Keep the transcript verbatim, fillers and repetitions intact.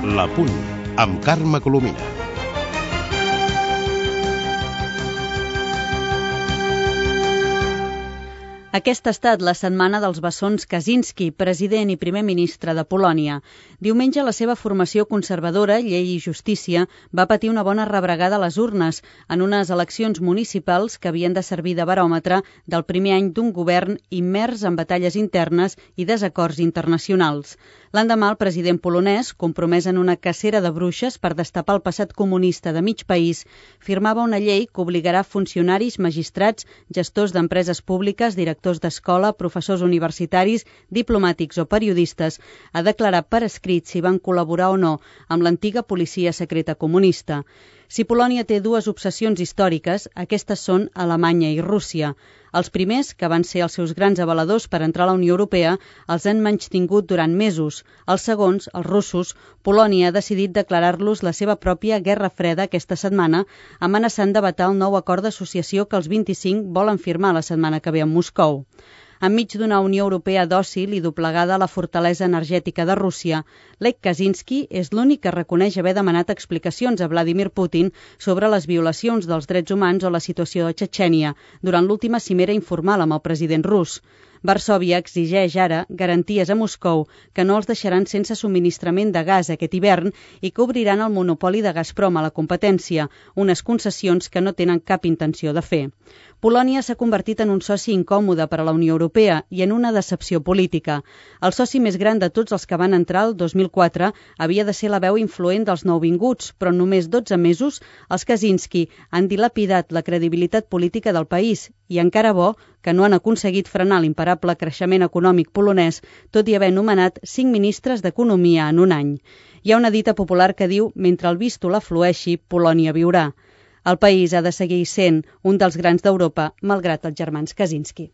La Punt, amb Carme Colomina. Aquesta ha estat la setmana dels bessons Kaczynski, president i primer ministre de Polònia. Diumenge la seva formació conservadora, Llei i Justícia, va patir una bona rebregada a les urnes en unes eleccions municipals que havien de servir de baròmetre del primer any d'un govern immers en batalles internes i desacords internacionals. L'endemà, el president polonès, compromès en una cacera de bruixes per destapar el passat comunista de mig país, firmava una llei que obligarà funcionaris, magistrats, gestors d'empreses públiques, directors d'escola, professors universitaris, diplomàtics o periodistes a declarar per escrit si van col·laborar o no amb l'antiga policia secreta comunista. Si Polònia té dues obsessions històriques, aquestes són Alemanya i Rússia. Els primers, que van ser els seus grans avaladors per entrar a la Unió Europea, els han menystingut durant mesos. Els segons, els russos, Polònia ha decidit declarar-los la seva pròpia guerra freda aquesta setmana, amenaçant de vetar el nou acord d'associació que els vint-i-cinc volen firmar la setmana que ve a Moscou. Enmig d'una Unió Europea dòcil i doblegada a la fortalesa energètica de Rússia, Lech Kaczynski és l'únic que reconeix haver demanat explicacions a Vladimir Putin sobre les violacions dels drets humans o la situació de Txetxènia durant l'última cimera informal amb el president rus. Varsòvia exigeix ara garanties a Moscou que no els deixaran sense subministrament de gas aquest hivern i que obriran el monopoli de Gazprom a la competència, unes concessions que no tenen cap intenció de fer. Polònia s'ha convertit en un soci incòmode per a la Unió Europea i en una decepció política. El soci més gran de tots els que van entrar el dos mil quatre havia de ser la veu influent dels nouvinguts, però en només dotze mesos els Kaczynski han dilapidat la credibilitat política del país i encara bo que no han aconseguit frenar l'imparable creixement econòmic polonès, tot i haver nomenat cinc ministres d'Economia en un any. Hi ha una dita popular que diu «Mentre el vístol aflueixi, Polònia viurà». El país ha de seguir sent un dels grans d'Europa, malgrat els germans Kaczynski.